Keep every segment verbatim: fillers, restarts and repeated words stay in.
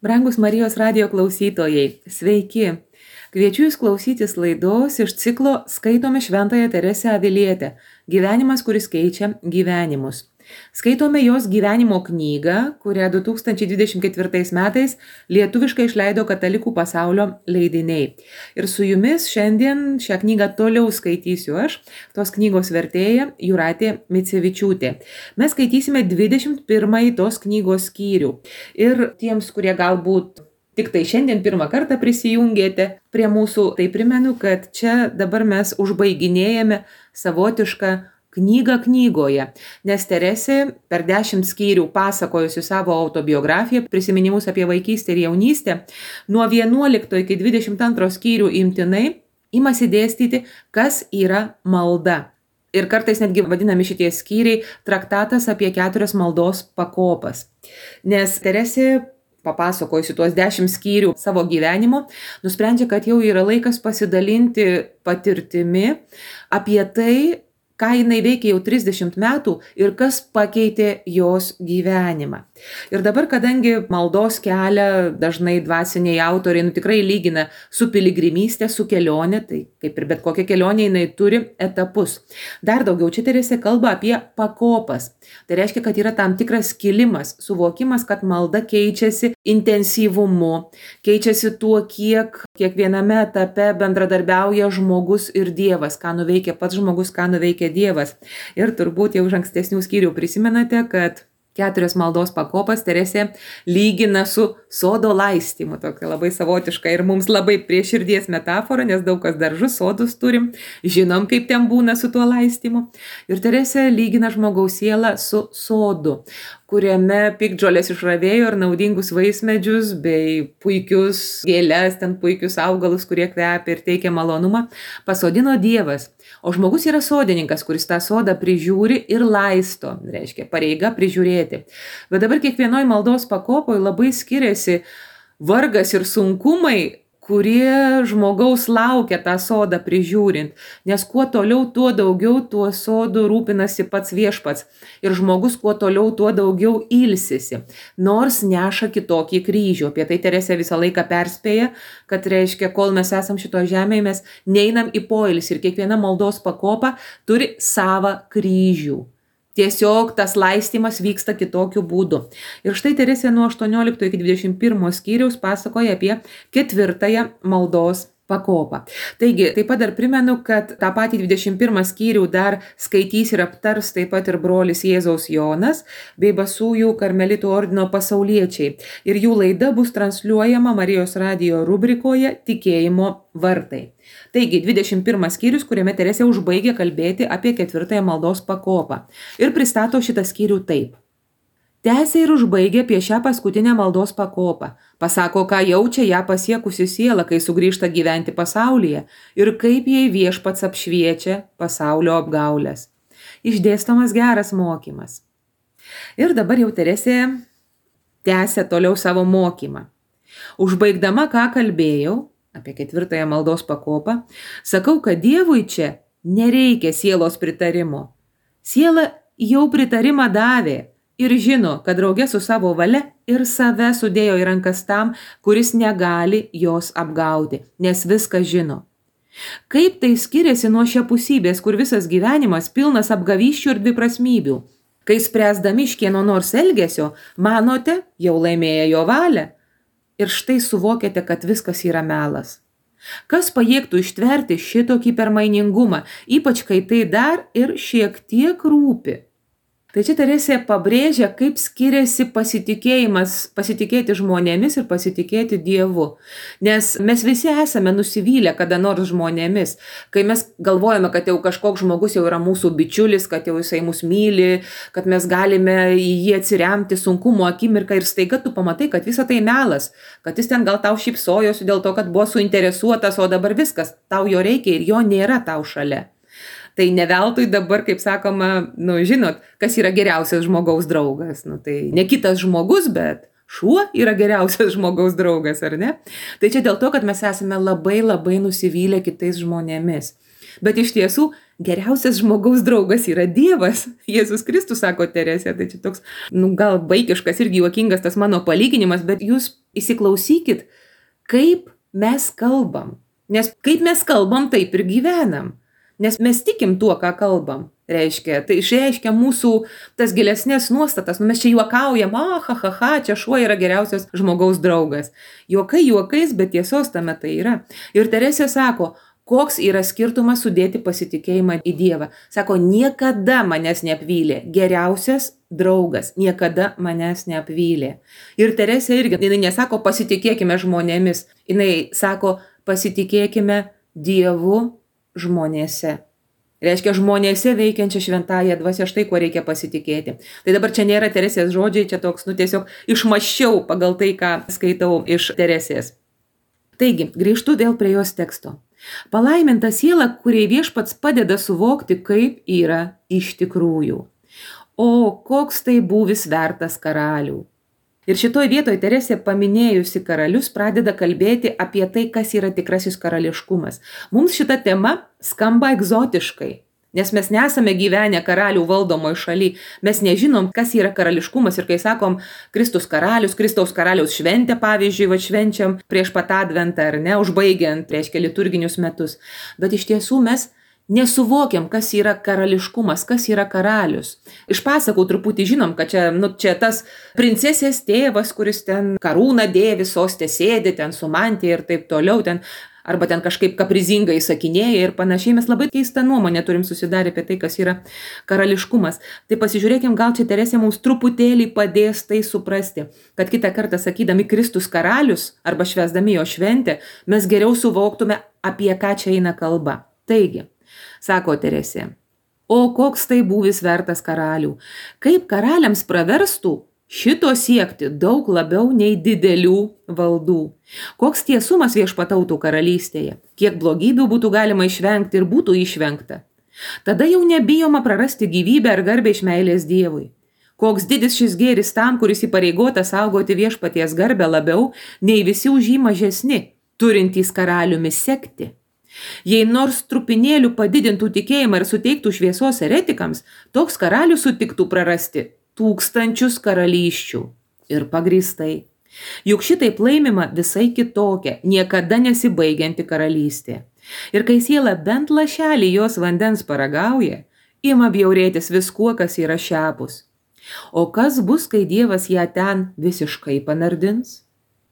Brangus Marijos radijo klausytojai, sveiki! Kviečiu Jūs klausytis laidos iš ciklo Skaitome Šventąją Teresę Avilietę – Gyvenimas, kuris keičia gyvenimus. Skaitome jos gyvenimo knygą, kurią du tūkstančiai dvidešimt ketvirtais metais lietuviškai išleido Katalikų pasaulio leidiniai. Ir su Jumis šiandien šią knygą toliau skaitysiu aš, tos knygos vertėja Jūratė Micevičiūtė. Mes skaitysime dvidešimt pirmąjį tos knygos skyrių. Ir tiems, kurie galbūt tik tai šiandien pirmą kartą prisijungėte prie mūsų, tai primenu, kad čia dabar mes užbaiginėjame savotišką knygą knygoje, nes Teresė per dešimt skyrių pasakojusi savo autobiografiją, prisiminimus apie vaikystę ir jaunystę, nuo vienuolikto iki dvidešimt antro skyrių imtinai imasi dėstyti, kas yra malda. Ir kartais netgi vadinami šitie skyriai traktatas apie keturias maldos pakopas. Nes Teresė, papasakojusi tuos dešimt skyrių savo gyvenimo, nusprendžia, kad jau yra laikas pasidalinti patirtimi apie tai, ką jinai veikia jau trisdešimt metų ir kas pakeitė jos gyvenimą. Ir dabar, kadangi maldos kelią dažnai dvasiniai autoriai nu, tikrai lygina su piligrimystė, su kelionė, tai kaip ir bet kokia kelionė jinai turi etapus. Dar daugiau čia Teresė kalba apie pakopas. Tai reiškia, kad yra tam tikras kilimas, suvokimas, kad malda keičiasi intensyvumu, keičiasi tuo, kiek kiekviename etape bendradarbiauja žmogus ir Dievas, ką nuveikia pats žmogus, ką nuveikia Dievas. Ir turbūt jau iš ankstesnių skyrių prisimenate, kad keturias maldos pakopas Teresė lygina su sodo laistymu, tokia labai savotiška ir mums labai prie širdies metafora, nes daug kas daržus sodus turim, žinom, kaip ten būna su tuo laistymu. Ir Teresė lygina žmogaus sielą su sodu, kuriame piktžolės išravėjo ir naudingus vaismedžius bei puikius gėles, ten puikius augalus, kurie kvepia ir teikia malonumą, pasodino Dievas. O žmogus yra sodininkas, kuris tą sodą prižiūri ir laisto, reiškia pareiga prižiūrėti. Bet dabar kiekvienoj maldos pakopoje labai skiriasi vargas ir sunkumai, kurie žmogaus laukia tą sodą prižiūrint. Nes kuo toliau, tuo daugiau tuo sodu rūpinasi pats viešpats. Ir žmogus kuo toliau, tuo daugiau ilsisi. Nors neša kitokį kryžių. Apie tai Teresė visą laiką perspėja, kad reiškia, kol mes esam šito žemėje, mes neinam į poilsį. Ir kiekviena maldos pakopa turi savą kryžių. Tiesiog tas laistymas vyksta kitokiu būdu. Ir štai Teresė nuo aštuoniolikto iki dvidešimt pirmo skyriaus pasakoja apie ketvirtąją maldos pakopą. Taigi, taip pat dar primenu, kad tą patį dvidešimt pirmą skyrių dar skaitys ir aptars taip pat ir brolis Jėzaus Jonas bei Basųjų karmelitų ordino pasauliečiai. Ir jų laida bus transliuojama Marijos radijo rubrikoje Tikėjimo vartai. Taigi, dvidešimt pirmas skyrius, kuriame Teresė užbaigia kalbėti apie ketvirtąją maldos pakopą. Ir pristato šitą skyrių taip. Tęsia ir užbaigia apie šią paskutinę maldos pakopą. Pasako, ką jaučia ją pasiekusi siela, kai sugrįžta gyventi pasaulyje ir kaip jai viešpats apšviečia pasaulio apgaulės. Išdėstomas geras mokymas. Ir dabar jau Teresė tęsia toliau savo mokymą. Užbaigdama, ką kalbėjau apie ketvirtąją maldos pakopą, sakau, kad Dievui čia nereikia sielos pritarimo. Siela jau pritarimą davė. Ir žino, kad drauge su savo valia ir save sudėjo į rankas tam, kuris negali jos apgauti, nes viską žino. Kaip tai skiriasi nuo šiapusybės, kur visas gyvenimas pilnas apgavysčių ir dviprasmybių? Kai spręsdami iš kieno nors elgesio, manote, jau laimėję jo valią. Ir štai suvokiate, kad viskas yra melas. Kas pajėgtų ištverti šitokį permainingumą, ypač kai tai dar ir šiek tiek rūpi? Tai čia Teresė pabrėžia, kaip skiriasi pasitikėjimas, pasitikėti žmonėmis ir pasitikėti Dievu. Nes mes visi esame nusivylę kada nors žmonėmis. Kai mes galvojame, kad jau kažkoks žmogus jau yra mūsų bičiulis, kad jau jisai mus myli, kad mes galime į jį atsiremti sunkumo akimirką ir staiga tu pamatai, kad visa tai melas, kad jis ten gal tau šypsojosi dėl to, kad buvo suinteresuotas, o dabar viskas, tau jo reikia ir jo nėra tau šalia. Tai ne veltui dabar, kaip sakoma, nu, žinot, kas yra geriausias žmogaus draugas. Nu, tai ne kitas žmogus, bet šuo yra geriausias žmogaus draugas, ar ne? Tai čia dėl to, kad mes esame labai labai nusivylę kitais žmonėmis. Bet iš tiesų geriausias žmogaus draugas yra Dievas. Jėzus Kristus, sako Teresė, tai čia toks, nu, gal vaikiškas irgi juokingas tas mano palyginimas, bet jūs įsiklausykit, kaip mes kalbam. Nes kaip mes kalbam, taip ir gyvenam. Nes mes tikim tuo, ką kalbam. Reiškia, tai išreiškia mūsų tas gilesnės nuostatas. Nu, mes čia juokaujam, ah, ha, ha, ha, čia šuo yra geriausias žmogaus draugas. Juokai juokais, bet tiesos tame tai yra. Ir Teresė sako, koks yra skirtumas sudėti pasitikėjimą į Dievą. Sako, niekada manęs neapvylė. Geriausias draugas niekada manęs neapvylė. Ir Teresė irgi, jinai nesako, pasitikėkime žmonėmis. Jinai sako, pasitikėkime Dievu žmonėse. Reiškia, žmonėse veikiančia šventąją dvasią, štai kuo reikia pasitikėti. Tai dabar čia nėra Teresės žodžiai, čia toks, nu tiesiog išmaščiau pagal tai, ką skaitau iš Teresės. Taigi, grįžtu vėl prie jos teksto. Palaiminta siela, kuriai Viešpats padeda suvokti, kaip yra iš tikrųjų. O koks tai būvis vertas karalių. Ir šitoj vietoj Teresė paminėjusi karalius pradeda kalbėti apie tai, kas yra tikrasis karališkumas. Mums šita tema skamba egzotiškai, nes mes nesame gyvenę karalių valdomoj šaly. Mes nežinom, kas yra karališkumas. Ir kai sakom Kristus karalius, Kristaus karaliaus šventę, pavyzdžiui, va švenčiam prieš pat adventą, ar ne, užbaigiant, reiškia, liturginius metus. Bet iš tiesų mes nesuvokiam, kas yra karališkumas, kas yra karalius. Iš pasakų truputį žinom, kad čia, nu, čia tas princesės tėvas, kuris ten karūną dėvi, sostė sėdi, ten su mantija ir taip toliau, ten, arba ten kažkaip kaprizingai sakinėja ir panašiai. Mes labai keistą nuomonę turim susidarę apie tai, kas yra karališkumas. Tai pasižiūrėkim, gal čia Teresė mums truputėlį padės tai suprasti, kad kitą kartą sakydami Kristus karalius arba švęsdami jo šventę, mes geriau suvoktume, apie ką čia eina kalba. Taigi, sako Teresė, o koks tai būvis vertas karalių, kaip karaliams praverstų šito siekti daug labiau nei didelių valdų. Koks tiesumas viešpatautų karalystėje, kiek blogybių būtų galima išvengti ir būtų išvengta. Tada jau nebijoma prarasti gyvybę ar garbę iš meilės Dievui. Koks didis šis gėris tam, kuris įpareigotas saugoti viešpaties garbę labiau nei visi už jį mažesni, turintys karaliumi sekti. Jei nors trupinėlių padidintų tikėjimą ir suteiktų šviesos eretikams, toks karalius sutiktų prarasti tūkstančius karalysčių. Ir pagrįstai. Juk šitaip laimima visai kitokia, niekada nesibaigianti karalystė. Ir kai siela bent lašelį jos vandens paragauja, ima bjaurėtis viskuo, kas yra šiapus. O kas bus, kai Dievas ją ten visiškai panardins?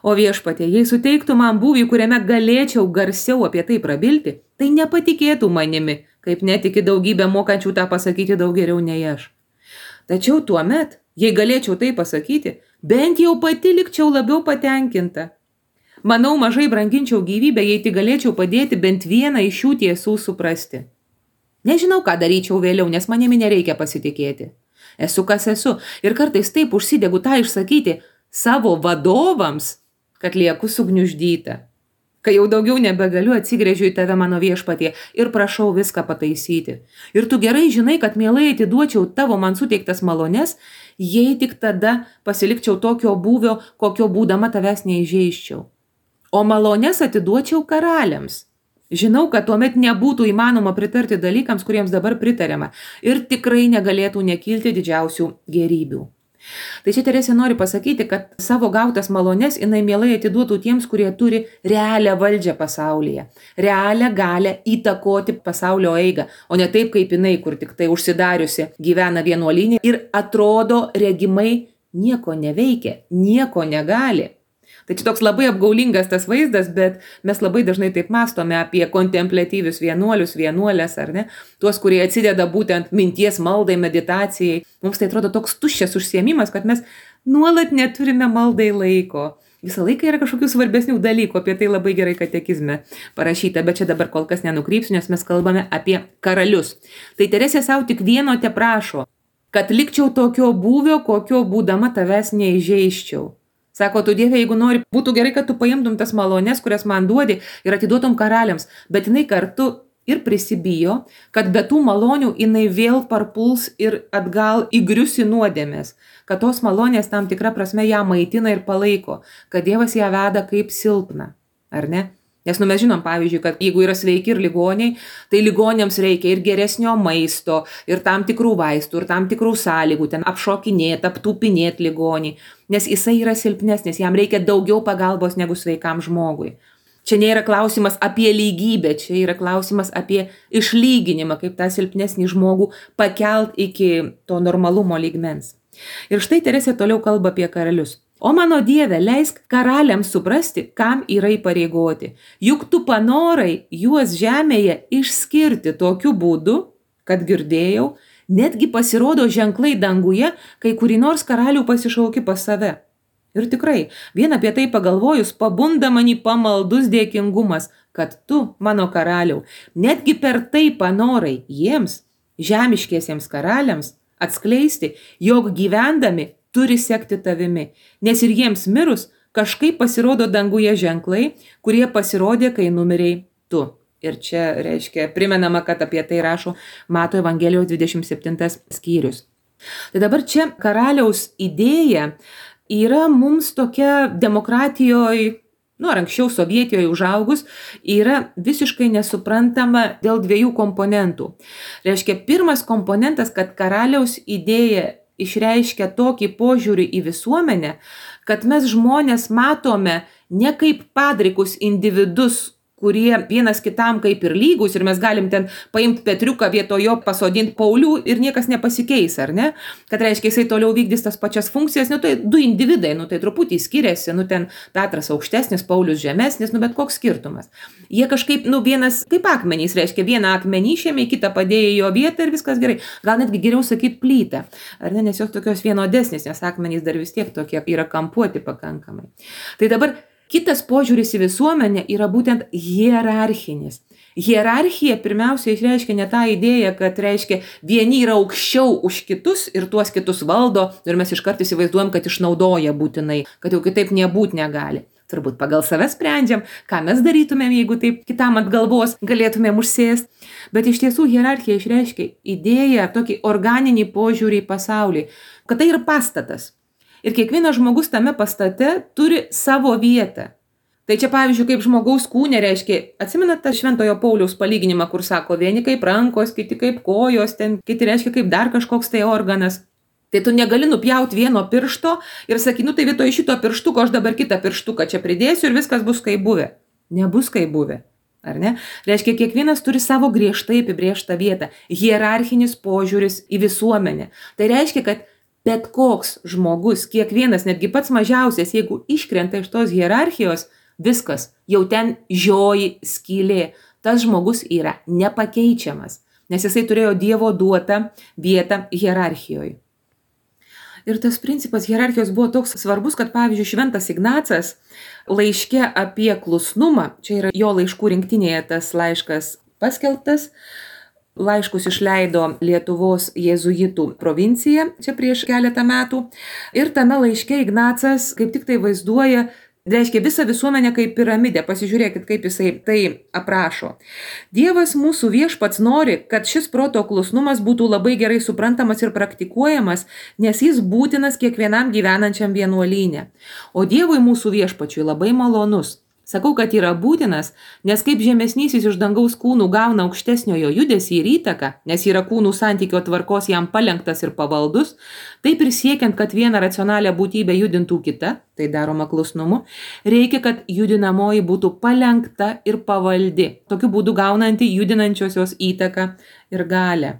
O viešpatie, jei suteiktų man būvį, kuriame galėčiau garsiau apie tai prabilti, tai nepatikėtų manimi, kaip netiki daugybę mokančių tą pasakyti daug geriau nei aš. Tačiau tuomet, jei galėčiau tai pasakyti, bent jau pati likčiau labiau patenkinta. Manau, mažai branginčiau gyvybę, jei tik galėčiau padėti bent vieną iš šių tiesų suprasti. Nežinau, ką daryčiau vėliau, nes manimi nereikia pasitikėti. Esu kas esu ir kartais taip užsidegu tą išsakyti savo vadovams, kad lieku sugniuždyta. Kai jau daugiau nebegaliu, atsigręžiu į tave, mano viešpatie, ir prašau viską pataisyti. Ir tu gerai žinai, kad mielai atiduočiau tavo man suteiktas malones, jei tik tada pasilikčiau tokio būvio, kokio būdama tavęs neįžeiščiau. O malones atiduočiau karaliams. Žinau, kad tuomet nebūtų įmanoma pritarti dalykams, kuriems dabar pritariama, ir tikrai negalėtų nekilti didžiausių gėrybių. Tai čia Teresė nori pasakyti, kad savo gautas malones jinai mielai atiduotų tiems, kurie turi realią valdžią pasaulyje, realią galę įtakoti pasaulio eigą, o ne taip kaip jinai, kur tik tai užsidariusi gyvena vienuolyne ir atrodo regimai nieko neveikia, nieko negali. Tai čia toks labai apgaulingas tas vaizdas, bet mes labai dažnai taip mąstome apie kontempliatyvius vienuolius, vienuolės, ar ne? Tuos, kurie atsideda būtent minties maldai, meditacijai. Mums tai atrodo toks tuščias užsiėmimas, kad mes nuolat neturime maldai laiko. Visą laiką yra kažkokių svarbesnių dalykų, apie tai labai gerai katekizme parašyta, bet čia dabar kol kas nenukrypsiu, nes mes kalbame apie karalius. Tai Teresė savo tik vieno te prašo, kad likčiau tokio būvio, kokio būdama tavęs neįžeiščiau. Sako, tu Dieve, jeigu nori, būtų gerai, kad tu paimtum tas malones, kurias man duodi ir atiduotum karaliams, bet jinai kartu ir prisibijo, kad be tų malonių jinai vėl parpuls ir atgal įgrius į nuodėmės, kad tos malonės tam tikra prasme ją maitina ir palaiko, kad Dievas ją veda kaip silpną, ar ne? Nes nu mes žinom, pavyzdžiui, kad jeigu yra sveiki ir ligoniai, tai ligoniams reikia ir geresnio maisto, ir tam tikrų vaistų, ir tam tikrų sąlygų, ten apšokinėti, aptūpinėti ligonį, nes jisai yra silpnesnis, jam reikia daugiau pagalbos negu sveikam žmogui. Čia nėra klausimas apie lygybę, čia yra klausimas apie išlyginimą, kaip tą silpnesnį žmogų pakelt iki to normalumo lygmens. Ir štai Teresė toliau kalba apie karalius. O mano Dieve, leisk karaliams suprasti, kam yra įpareigoti. Juk tu panorai juos žemėje išskirti tokiu būdu, kad girdėjau, netgi pasirodo ženklai danguje, kai kurį nors karalių pasišauki pas save. Ir tikrai, vien apie tai pagalvojus, pabunda manį pamaldus dėkingumas, kad tu, mano karaliau, netgi per tai panorai jiems, žemiškiesiems karaliams, atskleisti, jog gyvendami turi sekti tavimi, nes ir jiems mirus kažkaip pasirodo danguje ženklai, kurie pasirodė, kai numiriai tu. Ir čia reiškia, primenama, kad apie tai rašo Mato Evangelijos dvidešimt septintas skyrius. Tai dabar čia karaliaus idėja yra mums tokia demokratijoje, nu ar anksčiau Sovietijoje užaugus, yra visiškai nesuprantama dėl dviejų komponentų. Reiškia, pirmas komponentas, kad karaliaus idėja išreiškia tokį požiūrį į visuomenę, kad mes žmonės matome ne kaip padrikus individus, kurie vienas kitam kaip ir lygus ir mes galim ten paimti Petriuką vietojo pasodinti Paulių ir niekas nepasikeis, ar ne? Kad reiškia, jisai toliau vykdys tas pačias funkcijas, nu tai du individai, nu tai truputį skiriasi, nu ten Petras aukštesnis, Paulius žemesnis, nu bet koks skirtumas. Jie kažkaip, nu vienas kaip akmenys, reiškia, vieną akmenį išėmė, kitą padėjo jo vietą ir viskas gerai. Gal netgi geriau sakyti plytą, ar ne, nes jos tokios vienodesnės, nes akmenys dar vis tiek tokie yra kampuoti pakankamai. Tai dabar kitas požiūris į visuomenę yra būtent hierarchinis. Hierarchija pirmiausia išreiškia ne tą idėją, kad reiškia vieni yra aukščiau už kitus ir tuos kitus valdo ir mes iškart įsivaizduojam, kad išnaudoja būtinai, kad jau kitaip nebūt negali. Turbūt pagal save sprendžiam, ką mes darytumėm, jeigu taip kitam ant galvos galėtumėm užsėsti. Bet iš tiesų hierarchija išreiškia idėją, tokį organinį požiūrį į pasaulį, kad tai yra pastatas. Ir kiekvienas žmogus tame pastate turi savo vietą. Tai čia pavyzdžiui, kaip žmogaus kūne reiškia, atsimenat tą Šventojo Pauliaus palyginimą, kur sako, vieni kaip rankos, kiti kaip kojos, ten kiti reiškia kaip dar kažkoks tai organas. Tai tu negali nupjauti vieno piršto ir sakai, nu tai vietoj šito pirštuko aš dabar kitą pirštuką čia pridėsiu ir viskas bus kaip buvę. Nebus kaip buvę. Ar ne? Reiškia, kiekvienas turi savo griežtai apibrėžtą vietą. Hierarchinis požiūris į visuomenę. Tai reiškia, kad bet koks žmogus, kiekvienas, netgi pats mažiausias, jeigu iškrenta iš tos hierarchijos, viskas, jau ten žioji skylė. Tas žmogus yra nepakeičiamas, nes jisai turėjo Dievo duotą vietą hierarchijoje. Ir tas principas hierarchijos buvo toks svarbus, kad pavyzdžiui Šventas Ignacas laiške apie klusnumą, čia yra jo laiškų rinktinėje tas laiškas paskelbtas, laiškus išleido Lietuvos jėzuitų provincija čia prieš keletą metų. Ir tame laiške Ignacas kaip tik tai vaizduoja, reiškia visą visuomenę kaip piramidę. Pasižiūrėkit, kaip jisai tai aprašo. Dievas mūsų viešpats nori, kad šis proto klusnumas būtų labai gerai suprantamas ir praktikuojamas, nes jis būtinas kiekvienam gyvenančiam vienuolyne. O Dievui mūsų viešpačiui labai malonus. Sakau, kad yra būtinas, nes kaip žemesnysis iš dangaus kūnų gauna aukštesniojo judesį ir įtaką, nes yra kūnų santykio tvarkos jam palenktas ir pavaldus, taip ir siekiant, kad vieną racionalią būtybę judintų kita, tai daroma klusnumu, reikia, kad judinamoji būtų palenkta ir pavaldi, tokiu būdu gaunanti judinančiosios įtaką ir galią.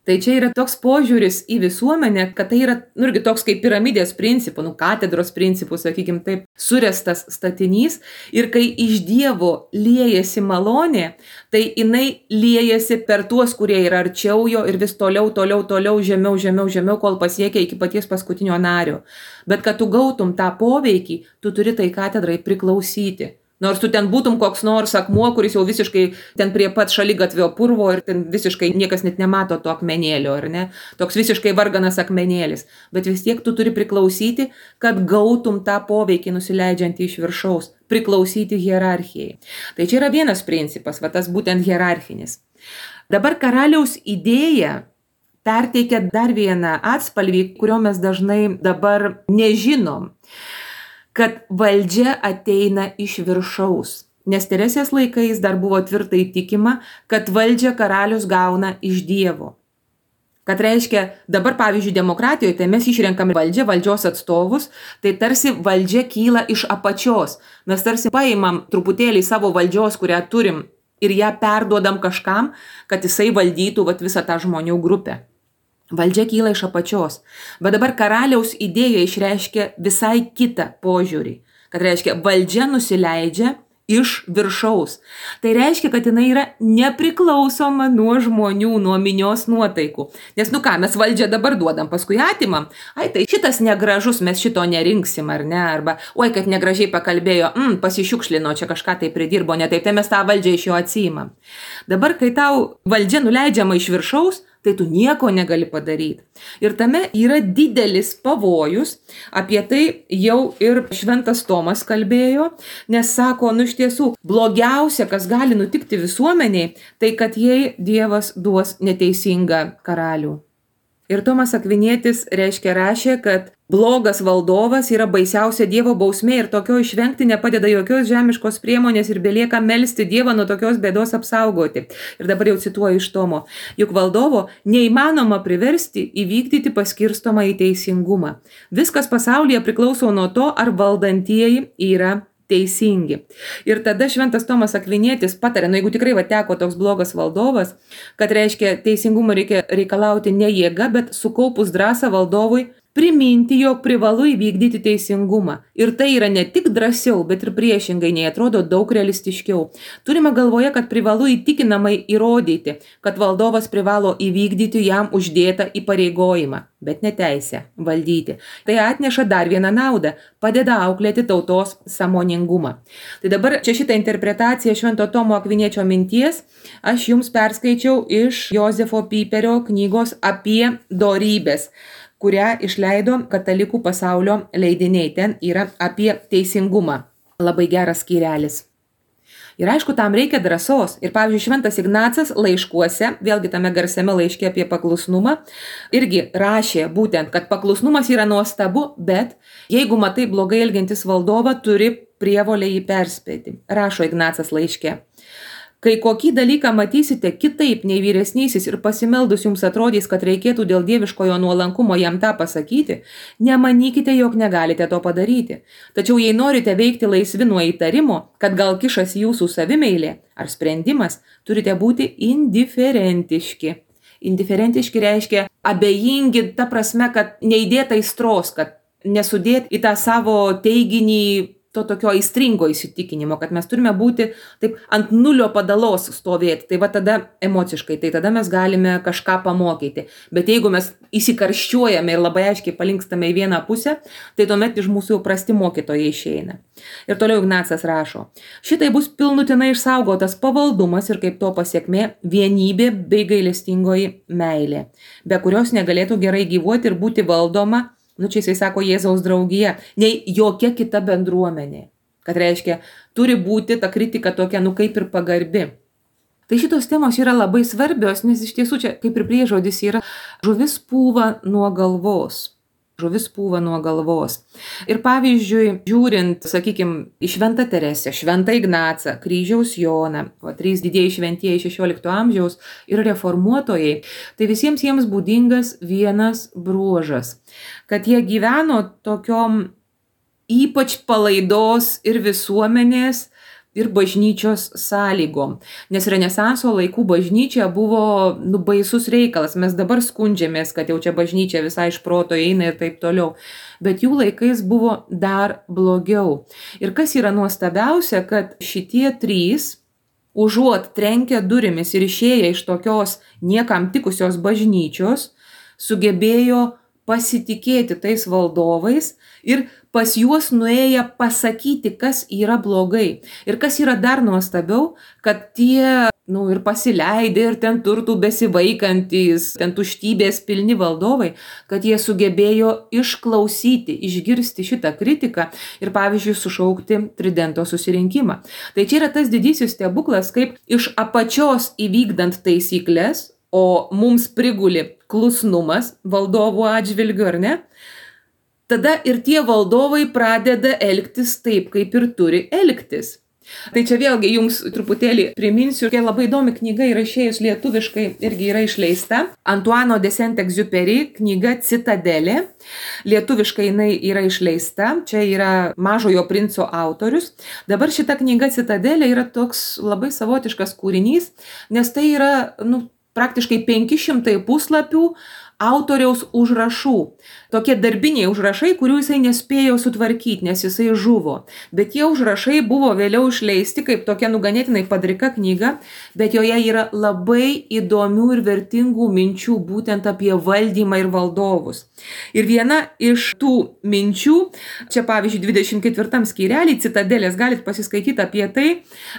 Tai čia yra toks požiūris į visuomenę, kad tai yra, nu, irgi toks kaip piramidės principų, nu, katedros principų, sakykime taip, surestas statinys. Ir kai iš Dievo liejasi malonė, tai jinai liejasi per tuos, kurie yra arčiau jo ir vis toliau, toliau, toliau, žemiau, žemiau, žemiau, kol pasiekia iki paties paskutinio nario. Bet kad tu gautum tą poveikį, tu turi tai katedrai priklausyti. Nors tu ten būtum koks nors akmuo, kuris jau visiškai ten prie pat šaligatvio purvo ir ten visiškai niekas net nemato to akmenėlio, ar ne? Toks visiškai varganas akmenėlis. Bet vis tiek tu turi priklausyti, kad gautum tą poveikį nusileidžiantį iš viršaus, priklausyti hierarchijai. Tai čia yra vienas principas, va tas būtent hierarchinis. Dabar karaliaus idėja perteikia dar vieną atspalvį, kurio mes dažnai dabar nežinom. Kad valdžia ateina iš viršaus. Nes Teresės laikais dar buvo tvirtai tikima, kad valdžią karalius gauna iš Dievo. Kad reiškia, dabar pavyzdžiui demokratijoje, tai mes išrenkame valdžią, valdžios atstovus, tai tarsi valdžia kyla iš apačios. Mes tarsi paimam truputėlį savo valdžios, kurią turim, ir ją perduodam kažkam, kad jisai valdytų vat, visą tą žmonių grupę. Valdžia kyla iš apačios. Bet dabar karaliaus idėja išreiškia visai kitą požiūrį. Kad reiškia, valdžia nusileidžia iš viršaus. Tai reiškia, kad jinai yra nepriklausoma nuo žmonių, nuo minios nuotaikų. Nes nu ką, mes valdžią dabar duodam, paskui atimam. Ai, tai šitas negražus, mes šito nerinksim, ar ne? Arba, oi, kad negražiai pakalbėjo, mm, pasišiukšlino, čia kažką tai pridirbo, ne taip, tai mes tą valdžią iš jo atsiimam. Dabar, kai tau valdžia nuleidžiama iš viršaus, tai tu nieko negali padaryti. Ir tame yra didelis pavojus, apie tai jau ir šventas Tomas kalbėjo, nes sako, nu iš tiesų, blogiausia, kas gali nutikti visuomeniai, tai kad jai Dievas duos neteisingą karalių. Ir Tomas Akvinietis reiškia rašė, kad blogas valdovas yra baisiausia Dievo bausmė ir tokio išvengti nepadeda jokios žemiškos priemonės ir belieka melsti Dievą nuo tokios bėdos apsaugoti. Ir dabar jau cituoju iš Tomo. Juk valdovo neįmanoma priversti įvykdyti paskirstomą į teisingumą. Viskas pasaulyje priklauso nuo to, ar valdantieji yra teisingi. Ir tada šventas Tomas Akvinietis patarė, nu jeigu tikrai va teko toks blogas valdovas, kad reiškia teisingumą reikia reikalauti ne jėga, bet sukaupus drąsą valdovui priminti, jog privalu įvykdyti teisingumą. Ir tai yra ne tik drąsiau, bet ir priešingai, nei atrodo daug realistiškiau. Turime galvoje, kad privalu įtikinamai įrodyti, kad valdovas privalo įvykdyti jam uždėtą įpareigojimą, bet ne teisę valdyti. Tai atneša dar vieną naudą, padeda auklėti tautos sąmoningumą. Tai dabar čia šitą interpretaciją švento Tomo Akviniečio minties aš jums perskaičiau iš Jozefo Piperio knygos apie dorybės, kurią išleido katalikų pasaulio leidiniai. Ten yra apie teisingumą. Labai geras skyrelis. Ir aišku, tam reikia drąsos. Ir pavyzdžiui, šventas Ignacas laiškuose, vėlgi tame garsiame laiške apie paklusnumą, irgi rašė būtent, kad paklusnumas yra nuostabu, bet jeigu matai blogai elgiantis valdovą, turi prievolę jį perspėti. Rašo Ignacas laiške. Kai kokį dalyką matysite kitaip nei vyresnysis ir pasimeldus jums atrodys, kad reikėtų dėl dieviškojo nuolankumo jam tą pasakyti, nemanykite, jog negalite to padaryti. Tačiau jei norite veikti laisvi nuo įtarimo, kad gal kišas jūsų savimeilė ar sprendimas, turite būti indiferentiški. Indiferentiški reiškia abejingi, ta prasme, kad neįdėta aistros, kad nesudėt į tą savo teiginį to tokio aistringo įsitikinimo, kad mes turime būti taip ant nulio padalos stovėti, tai va tada emociškai, tai tada mes galime kažką pamokyti. Bet jeigu mes įsikarščiuojame ir labai aiškiai palinkstame į vieną pusę, tai tuomet iš mūsų jau prasti mokytojai išeina. Ir toliau Ignacas rašo, šitai bus pilnutinai išsaugotas pavaldumas ir kaip to pasiekmė vienybė bei gailestingoji meilė, be kurios negalėtų gerai gyvuoti ir būti valdoma, nu čia jisai sako Jėzaus draugija, nei jokia kita bendruomenė. Kad reiškia, turi būti ta kritika tokia, nu kaip ir pagarbi. Tai šitos temos yra labai svarbios, nes iš tiesų čia kaip ir priežodis yra žuvis pūva nuo galvos. Žuvis pūva nuo galvos. Ir pavyzdžiui, žiūrint, sakykime, į Šventą Teresę, Šventą Ignacą, Kryžiaus Joną, o trys didieji šventieji šešiolikto amžiaus ir reformuotojai, tai visiems jiems būdingas vienas bruožas, kad jie gyveno tokiom ypač palaidos ir visuomenės ir bažnyčios sąlygom. Nes Renesanso laikų bažnyčia buvo nu, baisus reikalas. Mes dabar skundžiamės, kad jau čia bažnyčia visai iš proto eina ir taip toliau. Bet jų laikais buvo dar blogiau. Ir kas yra nuostabiausia, kad šitie trys, užuot trenkę durimis ir išėję iš tokios niekam tikusios bažnyčios, sugebėjo pasitikėti tais valdovais ir pas juos nuėję pasakyti, kas yra blogai. Ir kas yra dar nuostabiau, kad tie, nu, ir pasileidė, ir ten turtų besivaikantis, ten tuštybės pilni valdovai, kad jie sugebėjo išklausyti, išgirsti šitą kritiką ir, pavyzdžiui, sušaukti Tridento susirinkimą. Tai čia yra tas didysis stebuklas, kaip iš apačios įvykdant taisyklės, o mums priguli klusnumas valdovų atžvilgiu, ar ne? Tada ir tie valdovai pradeda elgtis taip, kaip ir turi elgtis. Tai čia vėlgi jums truputėlį priminsiu, kai labai įdomi knyga yra išėjus lietuviškai, irgi yra išleista. Antoine de Saint-Exupéry knyga Citadelė. Lietuviškai jinai yra išleista. Čia yra Mažojo princo autorius. Dabar šita knyga Citadelė yra toks labai savotiškas kūrinys, nes tai yra nu, praktiškai penki šimtai puslapių autoriaus užrašų. Tokie darbiniai užrašai, kurių jisai nespėjo sutvarkyti, nes jisai žuvo. Bet tie užrašai buvo vėliau išleisti kaip tokia nuganėtinai padrika knyga, bet joje yra labai įdomių ir vertingų minčių būtent apie valdymą ir valdovus. Ir viena iš tų minčių, čia pavyzdžiui dvidešimt ketvirtam skyrelį Citadelės galit pasiskaityti apie tai,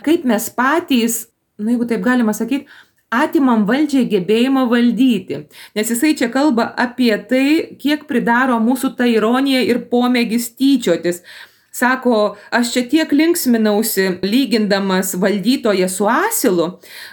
kaip mes patys, nu jeigu taip galima sakyti, atimam valdžiai gebėjimą valdyti, nes jisai čia kalba apie tai, kiek pridaro mūsų ta ironija ir pomėgis tyčiotis. Sako, aš čia tiek linksminausi, lygindamas valdytoją su asilu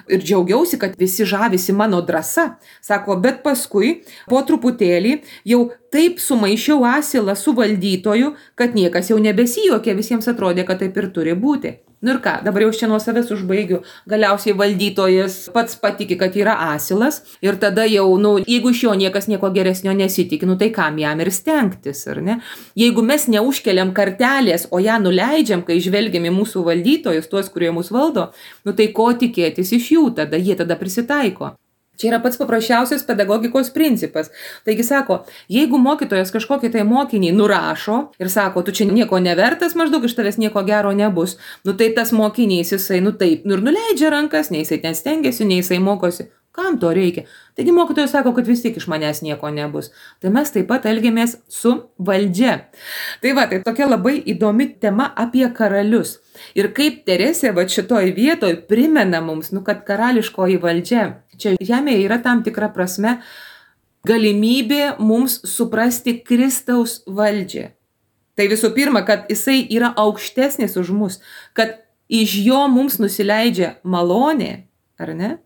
ir džiaugiausi, kad visi žavisi mano drąsa. Sako, bet paskui po truputėlį jau taip sumaišiau asilą su valdytoju, kad niekas jau nebesijuokė, visiems atrodė, kad taip ir turi būti. Nu ir ką, dabar jau čia nuo savęs užbaigiu. Galiausiai valdytojas pats patiki, kad yra asilas ir tada jau, nu, jeigu iš jo niekas nieko geresnio nesitikė, nu tai kam jam ir stengtis, ar ne? Jeigu mes neužkeliam kartelės, o ją nuleidžiam, kai žvelgiam į mūsų valdytojus, tuos, kurie mus valdo, nu tai ko tikėtis iš jų tada, jie tada prisitaiko. Čia yra pats paprasčiausias pedagogikos principas. Taigi sako, jeigu mokytojas kažkokį tai mokinį nurašo ir sako, tu čia nieko nevertas, maždaug iš tavęs nieko gero nebus, nu tai tas mokinys jisai, nu taip, nu ir nuleidžia rankas, nei jisai ten stengiasi, nei jisai mokosi. Kam to reikia? Taigi mokytojas sako, kad vis tik iš manęs nieko nebus. Tai mes taip pat elgiamės su valdžia. Tai va, tai tokia labai įdomi tema apie karalius. Ir kaip Teresė va šitoj vietoj primena mums, nu, kad karališkoji valdžia, čia žemėje yra tam tikra prasme galimybė mums suprasti Kristaus valdžią. Tai visų pirma, kad jisai yra aukštesnis už mus, kad iš jo mums nusileidžia malonė, ar ne?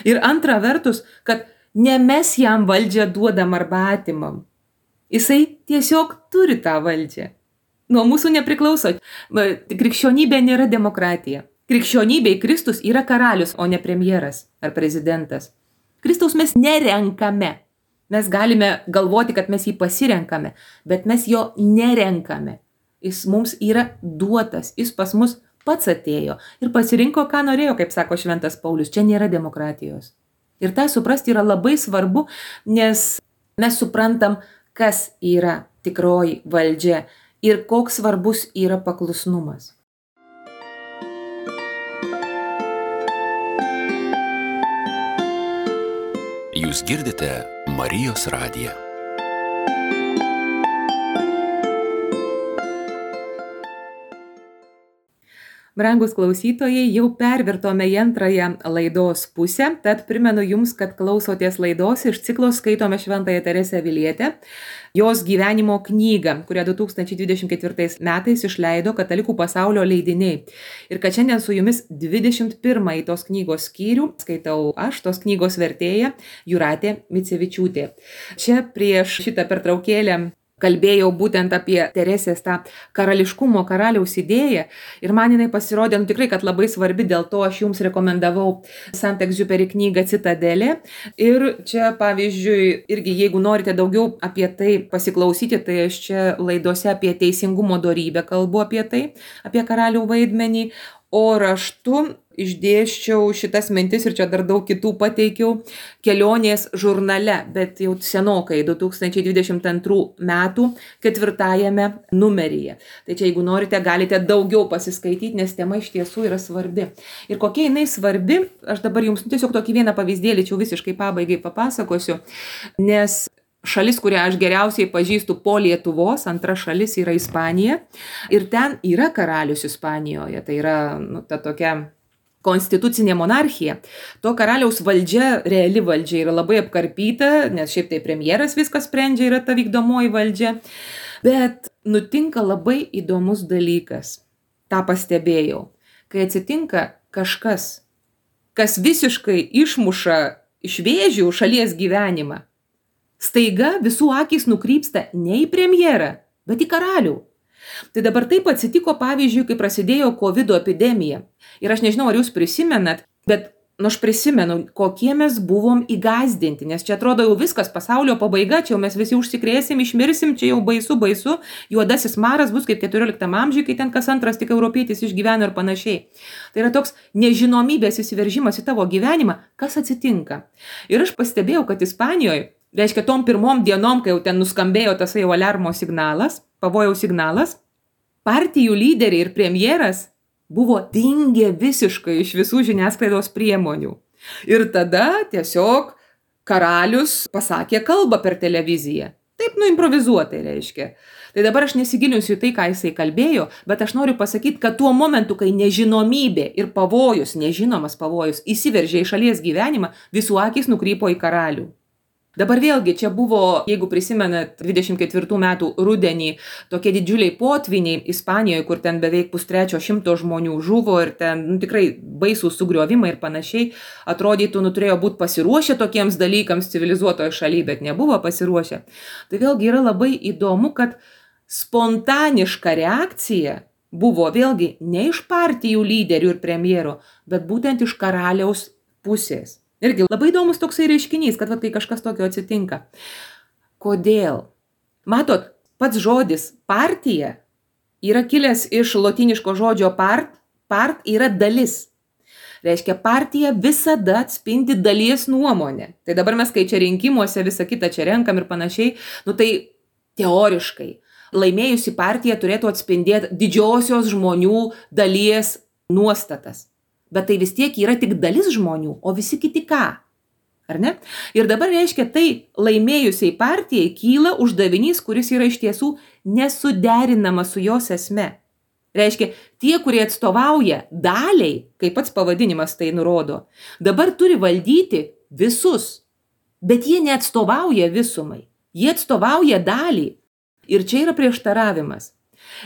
Ir antra vertus, kad ne mes jam valdžią duodam arba atimam. Jisai tiesiog turi tą valdžią. Nuo mūsų nepriklauso. Krikščionybė nėra demokratija. Krikščionybėj Kristus yra karalius, o ne premjeras ar prezidentas. Kristaus mes nerenkame. Mes galime galvoti, kad mes jį pasirenkame, bet mes jo nerenkame. Jis mums yra duotas, jis pas mus pats atėjo ir pasirinko, ką norėjo, kaip sako šventas Paulius. Čia nėra demokratijos. Ir tą suprasti yra labai svarbu, nes mes suprantam, kas yra tikroji valdžia ir koks svarbus yra paklusnumas. Jūs girdite Marijos radiją. Brangus klausytojai, jau pervirtome į antrąją laidos pusę, tad primenu jums, kad klausotės laidos iš ciklo Skaitome Šventąją Teresę Avilietę, jos gyvenimo knygą, kurią du tūkstančiai dvidešimt ketvirtais metais išleido Katalikų pasaulio leidiniai. Ir kad šiandien su jumis dvidešimt pirmąjį tos knygos skyrių skaitau aš, tos knygos vertėja Jūratė Micevičiūtė. Čia prieš šitą pertraukėlę kalbėjau būtent apie Teresės tą karališkumo karaliaus idėją ir man jinai pasirodė, nu tikrai, kad labai svarbi, dėl to aš jums rekomendavau Saint-Exupéry knygą Citadelė. Ir čia, pavyzdžiui, irgi jeigu norite daugiau apie tai pasiklausyti, tai aš čia laidose apie teisingumo dorybę kalbu apie tai, apie karalių vaidmenį, o raštu išdėsčiau šitas mintis ir čia dar daug kitų pateikiau kelionės žurnale, bet jau senokai du tūkstančiai dvidešimt antrų metų ketvirtajame numeryje. Tai čia jeigu norite, galite daugiau pasiskaityti, nes tema iš tiesų yra svarbi. Ir kokia jinai svarbi, aš dabar jums tiesiog tokį vieną pavyzdėlį čia visiškai pabaigai papasakosiu, nes šalis, kurią aš geriausiai pažįstu po Lietuvos, antra šalis yra Ispanija ir ten yra karalius Ispanijoje, tai yra nu, ta tokia konstitucinė monarchija. To karaliaus valdžia, reali valdžia yra labai apkarpyta, nes šiaip tai premjeras viskas sprendžia, yra ta vykdomoji valdžia. Bet nutinka labai įdomus dalykas. Ta pastebėjau. Kai atsitinka kažkas, kas visiškai išmuša iš vėžių šalies gyvenimą, staiga visų akys nukrypsta ne į premjerą, bet į karalių. Tai dabar taip atsitiko, pavyzdžiui, kai prasidėjo COVID epidemija. Ir aš nežinau, ar jūs prisimenat, bet nu, aš prisimenu, kokie mes buvom įgazdinti, nes čia atrodo jau viskas, pasaulio pabaiga, čia jau mes visi užsikrėsim, išmirsim, čia jau baisu, baisu, juodasis maras bus kaip keturioliktam amžiui, kai ten kas antras tik europietis išgyveno ir panašiai. Tai yra toks nežinomybės įsiveržimas į tavo gyvenimą, kas atsitinka. Ir aš pastebėjau, kad Ispanijoje, reiškia, tom pirmom dienom, kai jau ten nuskambėjo tas jau aliarmo signalas, pavojaus signalas, partijų lyderiai ir premjeras buvo dingę visiškai iš visų žiniasklaidos priemonių. Ir tada tiesiog karalius pasakė kalbą per televiziją. Taip, nu, improvizuotai reiškia. Tai dabar aš nesigilinsiu į tai, ką jisai kalbėjo, bet aš noriu pasakyti, kad tuo momentu, kai nežinomybė ir pavojus, nežinomas pavojus, įsiveržė į šalies gyvenimą, visų akys nukrypo į karalių. Dabar vėlgi čia buvo, jeigu prisimenat, dvidešimt ketvirtų metų rudenį tokie didžiuliai potviniai Ispanijoje, kur ten beveik pustrečio šimto žmonių žuvo ir ten nu, tikrai baisūs sugriovimai ir panašiai, atrodytų, nu, turėjo būti pasiruošę tokiems dalykams civilizuotoje šalyje, bet nebuvo pasiruošę. Tai vėlgi yra labai įdomu, kad spontaniška reakcija buvo vėlgi ne iš partijų lyderių ir premjero, bet būtent iš karaliaus pusės. Irgi labai įdomus toksai reiškinys, kad va, kai kažkas tokio atsitinka. Kodėl? Matot, pats žodis partija yra kilęs iš lotyniško žodžio part, part yra dalis. Reiškia, partija visada atspindi dalies nuomonę. Tai dabar mes, kai čia rinkimuose visą kitą čia renkam ir panašiai, nu tai teoriškai laimėjusi partija turėtų atspindėti didžiosios žmonių dalies nuostatas. Bet tai vis tiek yra tik dalis žmonių, o visi kiti ką? Ar ne? Ir dabar reiškia, tai laimėjusiai partijai kyla uždavinys, kuris yra iš tiesų nesuderinamas su jos esme. Reiškia, tie, kurie atstovauja daliai, kaip pats pavadinimas tai nurodo, dabar turi valdyti visus, bet jie neatstovauja visumai, jie atstovauja dalį. Ir čia yra prieštaravimas.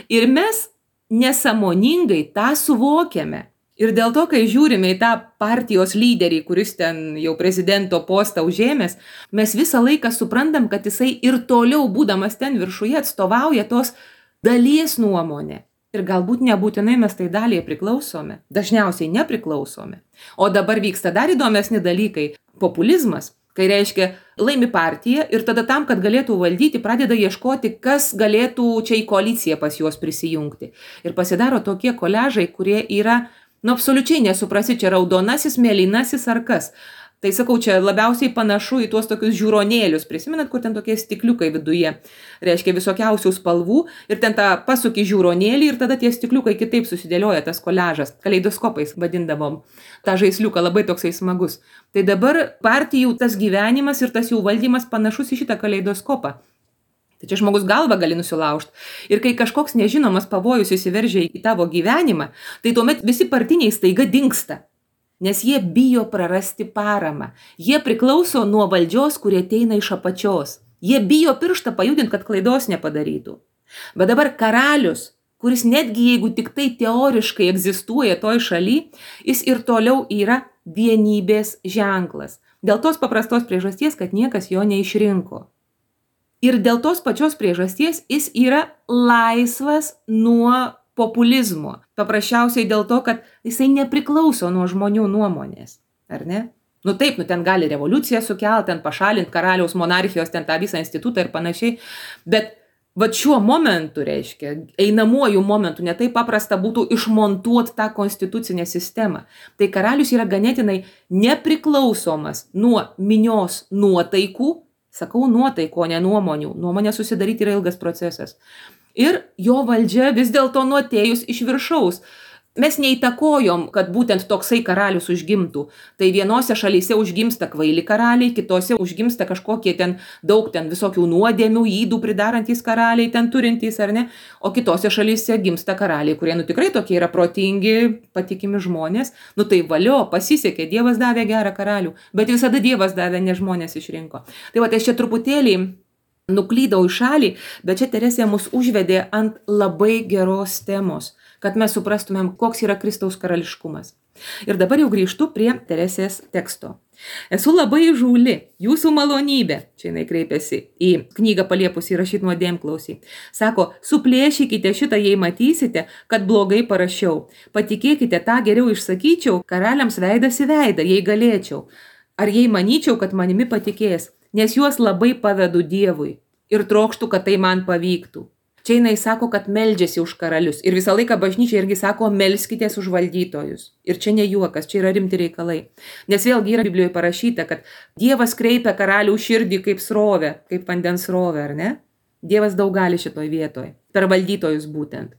Ir mes nesąmoningai tą suvokiame. Ir dėl to, kai žiūrime į tą partijos lyderį, kuris ten jau prezidento postą užėmęs, mes visą laiką suprantam, kad jisai ir toliau būdamas ten viršuje atstovauja tos dalies nuomonę. Ir galbūt nebūtinai mes tai daliai priklausome, dažniausiai nepriklausome. O dabar vyksta dar įdomesni dalykai. Populizmas, kai reiškia laimi partija ir tada tam, kad galėtų valdyti, pradeda ieškoti, kas galėtų čia į koaliciją pas juos prisijungti. Ir pasidaro tokie koliažai, kurie yra nu, absoliučiai nesuprasi, čia raudonasis, mėlynasis ar kas. Tai sakau, čia labiausiai panašu į tuos tokius žiūronėlius. Prisimenat, kur ten tokie stikliukai viduje, reiškia visokiausių spalvų ir ten tą pasuki žiūronėlį ir tada tie stikliukai kitaip susidėlioja tas koliažas. Kaleidoskopais vadindavom tą žaisliuką, labai toksai smagus. Tai dabar partijų tas gyvenimas ir tas jų valdymas panašus į šitą kaleidoskopą. Tai čia žmogus galvą gali nusilaužti. Ir kai kažkoks nežinomas pavojus įsiveržia į tavo gyvenimą, tai tuomet visi partiniai staiga dingsta. Nes jie bijo prarasti paramą. Jie priklauso nuo valdžios, kurie ateina iš apačios. Jie bijo pirštą pajudinti, kad klaidos nepadarytų. Bet dabar karalius, kuris netgi jeigu tik tai teoriškai egzistuoja toj šaly, jis ir toliau yra vienybės ženklas. Dėl tos paprastos priežasties, kad niekas jo neišrinko. Ir dėl tos pačios priežasties jis yra laisvas nuo populizmo. Paprasčiausiai dėl to, kad jisai nepriklauso nuo žmonių nuomonės. Ar ne? Nu taip, nu ten gali revoliuciją sukelti, ten pašalinti karaliaus monarchijos, ten tą visą institutą ir panašiai. Bet vat šiuo momentu, reiškia, einamuoju momentu, ne taip paprasta būtų išmontuoti tą konstitucinę sistemą. Tai karalius yra ganėtinai nepriklausomas nuo minios nuotaikų. Sakau nuotaiko, ne nuomonių. Nuomonė susidaryti yra ilgas procesas. Ir jo valdžia vis dėlto nuotėjus iš viršaus. Mes neįtakojom, kad būtent toksai karalius užgimtų. Tai vienose šalyse užgimsta kvaili karaliai, kitose užgimsta kažkokie ten daug ten visokių nuodėmių, ydų pridarantys karaliai, ten turintys ar ne. O kitose šalyse gimsta karaliai, kurie nu tikrai tokie yra protingi, patikimi žmonės. Nu tai valio, pasisekė, Dievas davė gerą karalių, bet visada Dievas davė, ne žmonės išrinko. Tai va, tai aš čia truputėlį nuklydau į šalį, bet čia Teresė mus užvedė ant labai geros temos, kad mes suprastumėm, koks yra Kristaus karališkumas. Ir dabar jau grįžtu prie Teresės teksto. Esu labai įžūli, jūsų malonybė, čia jinai kreipiasi į knygą paliepus įrašyti nuodėmklausį. Sako, suplėšykite šitą, jei matysite, kad blogai parašiau. Patikėkite, tą geriau išsakyčiau, karaliams veidas į veidą, jei galėčiau. Ar jei manyčiau, kad manimi patikės, nes juos labai pavedu Dievui ir trokštų, kad tai man pavyktų. Čia jinai sako, kad meldžiasi už karalius. Ir visą laiką bažnyčia irgi sako, melskitės už valdytojus. Ir čia ne juokas, čia yra rimti reikalai. Nes vėlgi yra Biblijoje parašyta, kad Dievas kreipia karalių širdį kaip srovę, kaip vandens srovę, ar ne? Dievas daug gali šitoj vietoj, per valdytojus būtent.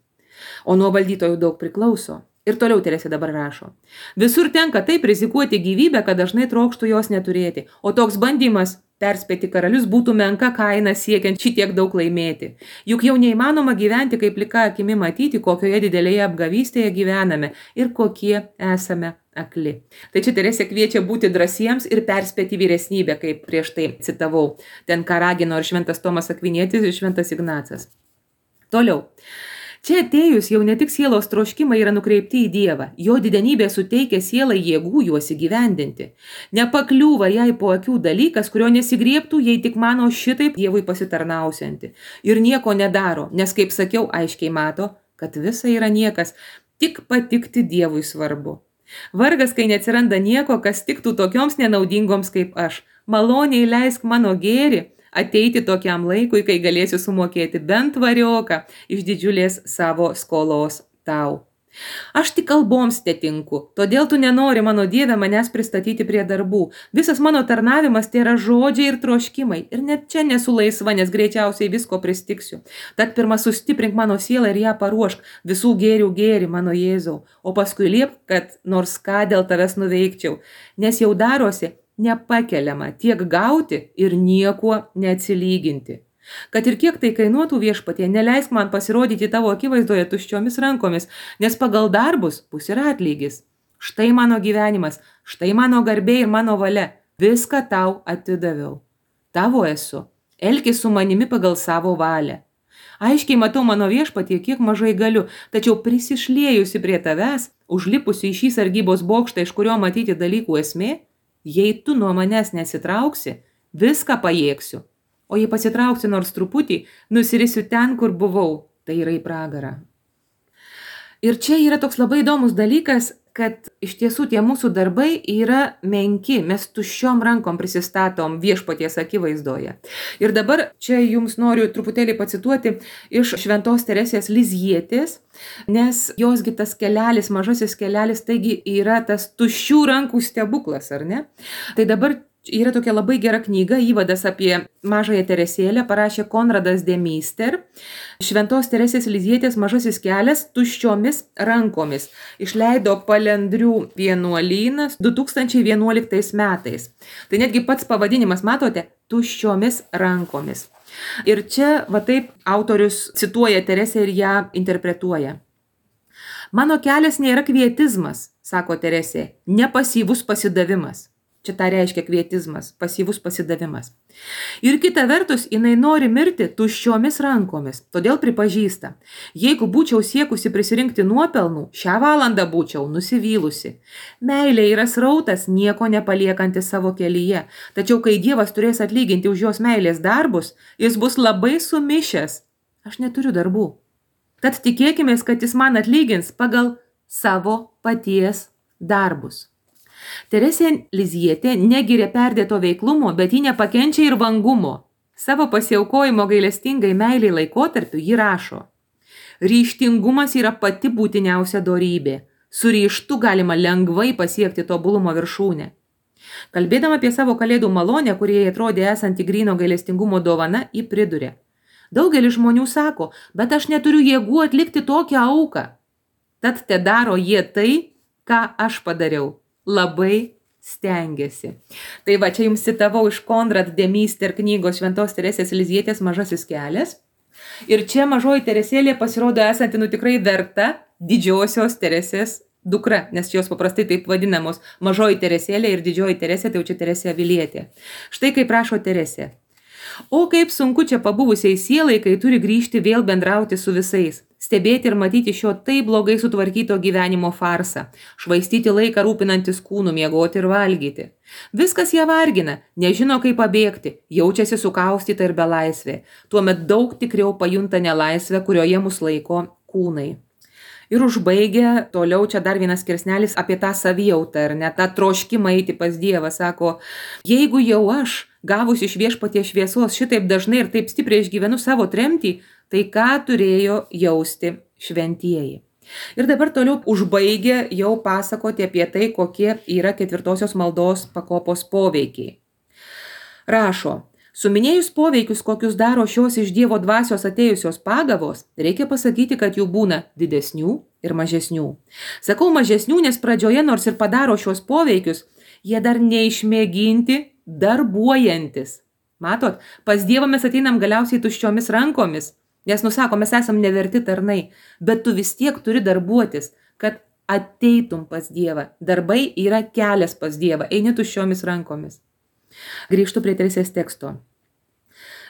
O nuo valdytojų daug priklauso. Ir toliau Teresė dabar rašo. Visur tenka taip rizikuoti gyvybę, kad dažnai trokštų jos neturėti. O toks bandymas perspėti karalius būtų menka kaina siekiant šitiek daug laimėti. Juk jau neįmanoma gyventi, kaip plika akimi matyti, kokioje didelėje apgavystėje gyvename ir kokie esame akli. Tai čia Teresė kviečia būti drąsiems ir perspėti vyresnybę, kaip prieš tai citavau. Ten ką ragino ir šventas Tomas Akvinietis ir šventas Ignacas. Toliau. Čia atėjus jau ne tik sielos troškimai yra nukreipti į Dievą, jo didenybė suteikia sielai jėgų juos įgyvendinti. Nepakliūva jai po akių dalykas, kurio nesigriebtų, jei tik mano šitaip Dievui pasitarnausianti. Ir nieko nedaro, nes, kaip sakiau, aiškiai mato, kad visa yra niekas, tik patikti Dievui svarbu. Vargas, kai neatsiranda nieko, kas tiktų tokioms nenaudingoms kaip aš. Maloniai leisk mano gėrį ateiti tokiam laikui, kai galėsiu sumokėti bent varioką iš didžiulės savo skolos tau. Aš tik kalboms tetinku, todėl tu nenori, mano Dieve, manęs pristatyti prie darbų. Visas mano tarnavimas tai yra žodžiai ir troškimai. Ir net čia nesu laisva, nes greičiausiai visko pristiksiu. Tad pirma sustiprink mano sielą ir ją paruošk visų gėrių gėrį, mano Jėzau. O paskui liep, kad nors ką dėl tavęs nuveikčiau, nes jau darosi nepakeliama tiek gauti ir niekuo neatsilyginti. Kad ir kiek tai kainuotų Viešpatie, neleisk man pasirodyti tavo akivaizdoje tuščiomis rankomis, nes pagal darbus bus ir atlygis. Štai mano gyvenimas, štai mano garbė ir mano valia, viską tau atidaviau. Tavo esu, elkis su manimi pagal savo valią. Aiškiai matau, mano Viešpatie, kiek mažai galiu, tačiau prisišliejusi prie tavęs, užlipusi į šį sargybos bokštą, iš kurio matyti dalykų esmė, jei tu nuo manęs nesitrauksi, viską pajėgsiu. O jei pasitrauksiu nors truputį, nusirisiu ten, kur buvau, tai yra į pragarą. Ir čia yra toks labai įdomus dalykas, kad iš tiesų tie mūsų darbai yra menki, mes tuščiom rankom prisistatom Viešpaties akivaizdoje. Ir dabar čia jums noriu truputėlį pacituoti iš šventos Teresės Lizjietės, nes josgi tas kelelis, mažasis kelelis, taigi yra tas tuščių rankų stebuklas, ar ne? Tai dabar yra tokia labai gera knyga, įvadas apie mažąją Teresėlę, parašė Konradas de Meister, šventos Teresės Lizjietės mažasis kelias tuščiomis rankomis. Išleido Palendrių vienuolynas du tūkstančiai vienuoliktais metais. Tai netgi pats pavadinimas, matote, tuščiomis rankomis. Ir čia, va taip, autorius cituoja Teresę ir ją interpretuoja. Mano kelias nėra kvietizmas, sako Teresė, ne pasyvus pasidavimas. Čia tą reiškia kvietizmas, pasyvus pasidavimas. Ir kita vertus, jinai nori mirti tuščiomis rankomis, todėl pripažįsta, jeigu būčiau siekusi prisirinkti nuopelnų, šią valandą būčiau nusivylusi. Meilė yra srautas, nieko nepaliekantis savo kelyje, tačiau kai Dievas turės atlyginti už jos meilės darbus, jis bus labai sumišęs. Aš neturiu darbų. Tad tikėkimės, kad jis man atlygins pagal savo paties darbus. Teresė Lizjietė negiria perdėto veiklumo, bet ji nepakenčia ir vangumo. Savo pasiaukojimo gailestingai meiliai laikotarpiu ji rašo. Ryžtingumas yra pati būtiniausia dorybė. Su ryžtu galima lengvai pasiekti tobulumo viršūnę. Kalbėdama apie savo kalėdų malonę, kurie atrodė esanti gryno gailestingumo dovana, ji priduria. Daugelis žmonių sako, bet aš neturiu jėgų atlikti tokią auką. Tad te daro jie tai, ką aš padariau. Labai stengiasi. Tai va, čia jums citavau iš Konrad de Meister knygos šventos Teresės Lizjietės mažasis kelias. Ir čia mažoji Teresėlė pasirodo esanti nu tikrai verta didžiosios Teresės dukra, nes jos paprastai taip vadinamos mažoji Teresėlė ir didžioji Teresė, tai jau čia Teresė Avilietė. Štai kaip rašo Teresė. O kaip sunku čia pabuvusiai sielai, kai turi grįžti vėl bendrauti su visais. stebėti ir matyti šio taip blogai sutvarkyto gyvenimo farsą, švaistyti laiką rūpinantis kūnų, miegoti ir valgyti. Viskas ją vargina, nežino kaip pabėgti, jaučiasi sukaustyta ir belaisvė, tuomet daug tikriau pajunta nelaisvę, kurioje mus laiko kūnai. Ir užbaigia toliau čia dar vienas skirsnelis apie tą savijautą ir net tą troškimą eiti pas Dievą. Sako, jeigu jau aš, gavus iš viešpaties šviesos, šitaip dažnai ir taip stipriai išgyvenu savo tremtį, tai ką turėjo jausti šventieji. Ir dabar toliau užbaigia jau pasakoti apie tai, kokie yra ketvirtosios maldos pakopos poveikiai. Rašo, suminėjus poveikius, kokius daro šios iš Dievo dvasios atėjusios pagavos, reikia pasakyti, kad jų būna didesnių ir mažesnių. Sakau mažesnių, nes pradžioje nors ir padaro šios poveikius, jie dar neišmėginti darbuojantis. Matot, pas Dievą mes ateinam galiausiai tuščiomis rankomis, nes nusako, mes esam neverti tarnai, bet tu vis tiek turi darbuotis, kad ateitum pas Dievą. Darbai yra kelias pas Dievą, eini tuščiomis rankomis. Grįžtu prie Teresės teksto.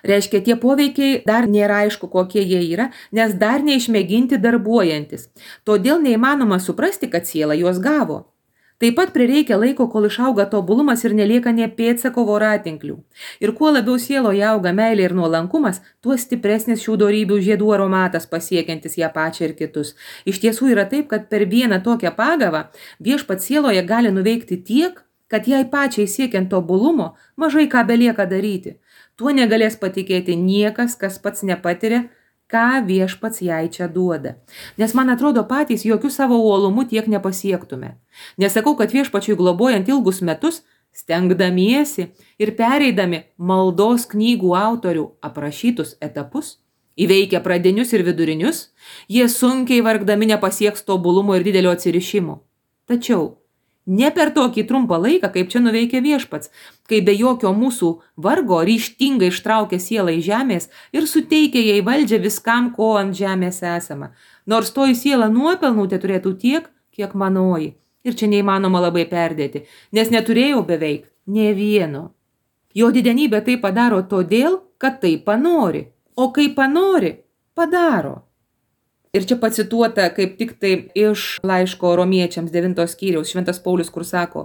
Reiškia, tie poveikiai dar nėra aišku, kokie jie yra, nes dar neišmėginti darbuojantis. Todėl neįmanoma suprasti, kad siela juos gavo. Taip pat prireikia laiko, kol išauga tobulumas ir nelieka nė pėdsako voratinklių. Ir kuo labiau sieloje auga meilė ir nuolankumas, tuo stipresnis šių dorybių žiedų aromatas pasiekiantis ją pačią ir kitus. Iš tiesų yra taip, kad per vieną tokią pagavą viešpats sieloje gali nuveikti tiek, kad jai pačiai siekiant tobulumo mažai ką belieka daryti. Tuo negalės patikėti niekas, kas pats nepatiria, ką viešpats jai čia duoda. Nes man atrodo patys jokių savo uolumu tiek nepasiektume. Nesakau, kad viešpačiui globojant ilgus metus, stengdamiesi ir pereidami maldos knygų autorių aprašytus etapus, įveikę pradinius ir vidurinius, jie sunkiai vargdami nepasieks tobulumo ir didelio atsirišimo. Tačiau ne per tokį trumpą laiką, kaip čia nuveikia viešpats, kai be jokio mūsų vargo ryžtingai ištraukia sielą iš žemės ir suteikia jai valdžią viskam, ko ant žemės esama. Nors toji siela nuopelnų te turėtų tiek, kiek manoji. Ir čia neįmanoma labai perdėti, nes neturėjau beveik nė vieno. Jo didenybė tai padaro todėl, kad tai panori. O kai panori, padaro. Ir čia pacituota kaip tik tai iš laiško romiečiams devintos skyriaus šventas Paulius, kur sako,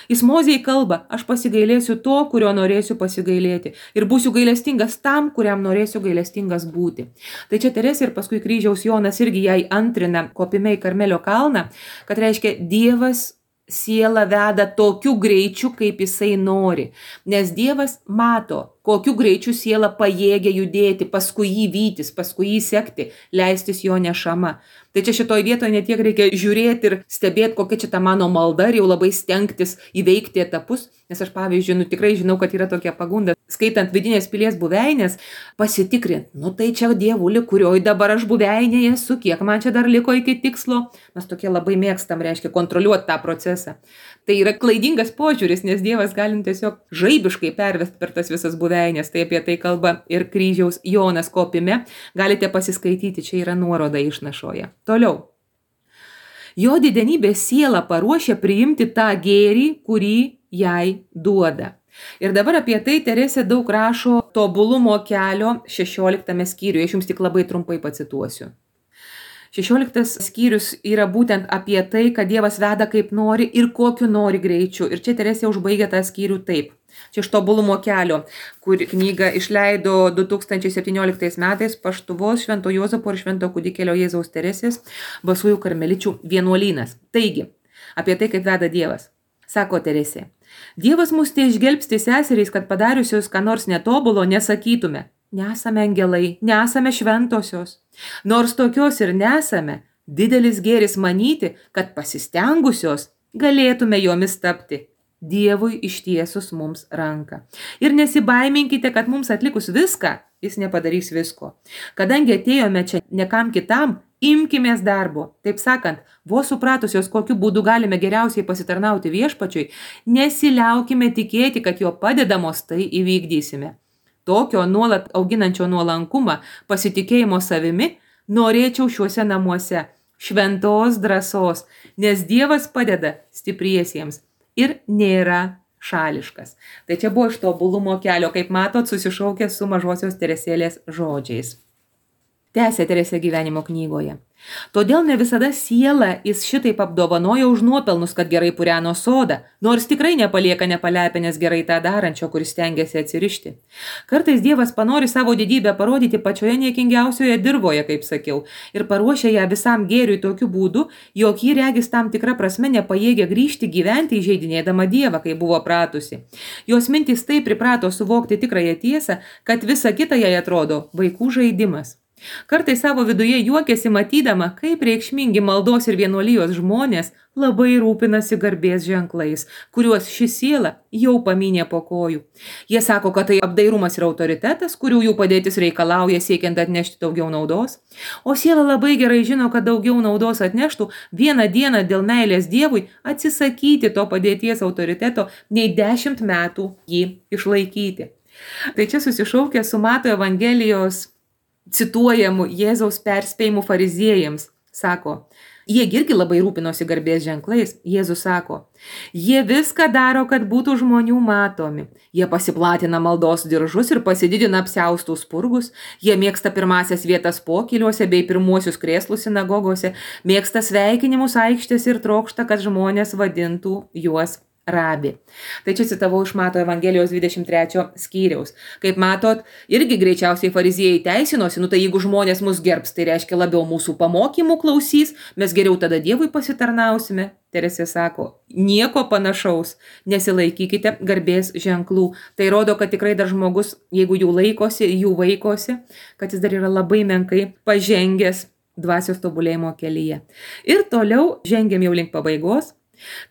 jis Mozei kalba, aš pasigailėsiu to, kurio norėsiu pasigailėti ir būsiu gailestingas tam, kuriam norėsiu gailestingas būti. Tai čia Teresė ir paskui kryžiaus Jonas irgi jai antrina kopime į Karmelio kalną, kad reiškia Dievas sielą veda tokiu greičiu, kaip jisai nori, nes Dievas mato, kokiu greičiu siela pajėgia judėti, paskui jį vytis, paskui jį sekti, leistis jo nešama. Tai čia šitoj vietoje ne tiek reikia žiūrėti ir stebėti, kokia čia ta mano malda ir jau labai stengtis įveikti etapus, nes aš pavyzdžiui, nu tikrai žinau, kad yra tokia pagunda, skaitant vidinės pilies buveinės, pasitikrinti, nu tai čia dievuli, kurioj dabar aš buveinėje esu, kiek man čia dar liko iki tikslo, mes tokie labai mėgstam, reiškia, kontroliuoti tą procesą. Tai yra klaidingas požiūris, nes Dievas gali tiesiog žaibiškai pervesti per tas visas buveinės. Tai apie tai kalba ir kryžiaus Jonas kopime. Galite pasiskaityti, čia yra nuoroda išnašoje. Toliau. Jo didenybė sielą paruošia priimti tą gėrį, kurį jai duoda. Ir dabar apie tai Teresė daug rašo tobulumo kelio šešioliktame skyriuje. Aš jums tik labai trumpai pacituosiu. šešioliktas skyrius yra būtent apie tai, kad Dievas veda kaip nori ir kokiu nori greičiu. Ir čia Teresė užbaigia tą skyrių taip. Čia iš tobulumo kelio, kur knygą išleido du tūkstančiai septynioliktais metais Paštuvos Švento Juozapo ir Švento Kūdikėlio Jėzaus Teresės Basųjų karmeličių vienuolynas. Taigi, apie tai, kaip veda Dievas. Sako Teresė, Dievas mus tai išgelbsti seserys, kad padariusios ką nors netobulo nesakytume. Nesame angelai, nesame šventosios. Nors tokios ir nesame, didelis gėris manyti, kad pasistengusios galėtume jomis tapti. Dievui ištiesus mums ranką. Ir nesibaiminkite, kad mums atlikus viską, jis nepadarys visko. Kadangi atėjome čia nekam kitam, imkimės darbo. Taip sakant, vos supratusios, kokiu būdu galime geriausiai pasitarnauti viešpačiui, nesiliaukime tikėti, kad jo padedamos tai įvykdysime. Tokio nuolat auginančio nuolankumą, pasitikėjimo savimi, norėčiau šiuose namuose, šventos drąsos, nes Dievas padeda stipriesiems ir nėra šališkas. Tai čia buvo iš tobulumo kelio, kaip matot, susišaukė su mažosios Teresėlės žodžiais. Tęsė Teresė gyvenimo knygoje. Todėl ne visada sielą jis šitaip apdovanoja už nuopelnus, kad gerai pureno sodą, nors tikrai nepalieka nepalepinės gerai tą darančio, kuris stengiasi atsirišti. Kartais Dievas panori savo didybę parodyti pačioje niekingiausioje dirvoje, kaip sakiau, ir paruošia ją visam gėriui tokiu būdu, jog ji regis tam tikrą prasme nepajėgia grįžti gyventi įžeidinėdama Dievą, kai buvo pratusi. Jos mintys taip priprato suvokti tikrąją tiesą, kad visa kita jai atrodo vaikų žaidimas. Kartais savo viduje juokiasi matydama, kaip reikšmingi maldos ir vienuolijos žmonės labai rūpinasi garbės ženklais, kuriuos ši siela jau paminė po kojų. Jie sako, kad tai apdairumas ir autoritetas, kurių jų padėtis reikalauja siekiant atnešti daugiau naudos. O siela labai gerai žino, kad daugiau naudos atneštų vieną dieną dėl meilės Dievui atsisakyti to padėties autoriteto nei dešimt metų jį išlaikyti. Tai čia susišaukia su Mato Evangelijos cituojamų Jėzaus perspėjimų fariziejams. Sako, jie irgi labai rūpinosi garbės ženklais. Jėzus sako, jie viską daro, kad būtų žmonių matomi. Jie pasiplatina maldos diržus ir pasididina apsiaustų spurgus. Jie mėgsta pirmasias vietas pokyliuose bei pirmuosius krėslus sinagogose. Mėgsta sveikinimus aikštės ir trokšta, kad žmonės vadintų juos rabi. Tai čia citavau iš Mato Evangelijos dvidešimt trečio skyriaus. Kaip matot, irgi greičiausiai fariziejai teisinosi, nu tai jeigu žmonės mus gerbs, tai reiškia labiau mūsų pamokymų klausys, mes geriau tada Dievui pasitarnausime. Teresė sako, nieko panašaus, nesilaikykite garbės ženklų. Tai rodo, kad tikrai dar žmogus, jeigu jų laikosi, jų vaikosi, kad jis dar yra labai menkai pažengęs dvasios tobulėjimo kelyje. Ir toliau žengiam jau link pabaigos.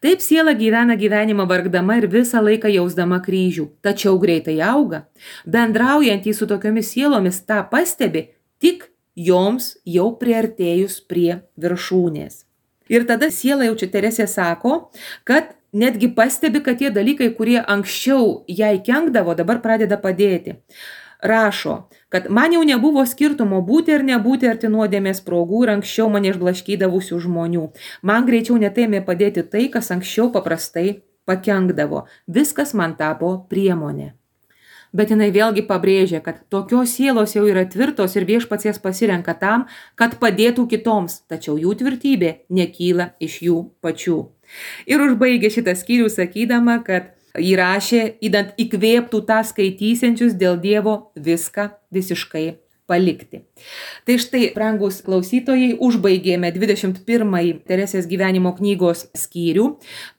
Taip siela gyvena gyvenimą vargdama ir visą laiką jausdama kryžių, tačiau greitai auga. Bendraujantys su tokiomis sielomis tą pastebi tik joms jau priartėjus prie viršūnės. Ir tada siela jau čia Teresė sako, kad netgi pastebi, kad tie dalykai, kurie anksčiau jai kenkdavo, dabar pradeda padėti. Rašo, kad man jau nebuvo skirtumo būti ar nebūti arti nuodėmės progų ir anksčiau mane išblaškydavusių žmonių. Man greičiau netėmė padėti tai, kas anksčiau paprastai pakenkdavo. Viskas man tapo priemonė. Bet jinai vėlgi pabrėžia, kad tokios sielos jau yra tvirtos ir Viešpats jas pasirenka tam, kad padėtų kitoms, tačiau jų tvirtybė nekyla iš jų pačių. Ir užbaigė šitą skyrių sakydama, kad įrašė, įdant įkvėptų tą skaitysiančius dėl Dievo viską visiškai palikti. Tai štai, brangus klausytojai, užbaigėme dvidešimt pirmąjį Teresės gyvenimo knygos skyrių.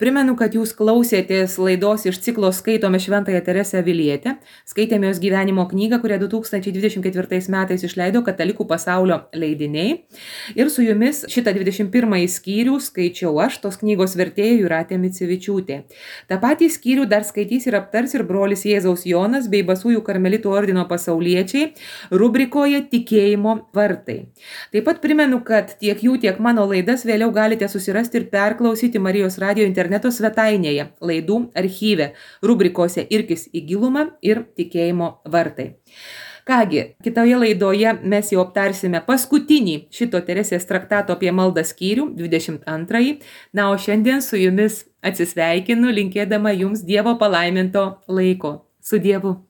Primenu, kad jūs klausėtės laidos iš ciklo Skaitome Šventąją Teresę Avilietę. Skaitėme jos gyvenimo knygą, kurią du tūkstančiai dvidešimt ketvirtais metais išleido Katalikų pasaulio leidiniai. Ir su jumis šitą dvidešimt pirmąjį skyrių skaičiau aš, tos knygos vertėja Jūratė Micevičiūtė. Ta patį skyrių dar skaitys ir aptars ir brolis Jėzaus Jonas bei Basųjų karmelitų ordino pasauliečiai rubrikoje Tikėjimo vartai. Taip pat primenu, kad tiek jų, tiek mano laidas vėliau galite susirasti ir perklausyti Marijos radijo interneto svetainėje, laidų archyve, rubrikose Irkis į gilumą ir Tikėjimo vartai. Kągi, kitoje laidoje mes jau aptarsime paskutinį šito Teresės traktato apie maldą skyrių, dvidešimt antrąjį. Na, o šiandien su jumis atsisveikinu, linkėdama jums Dievo palaiminto laiko. Su Dievu.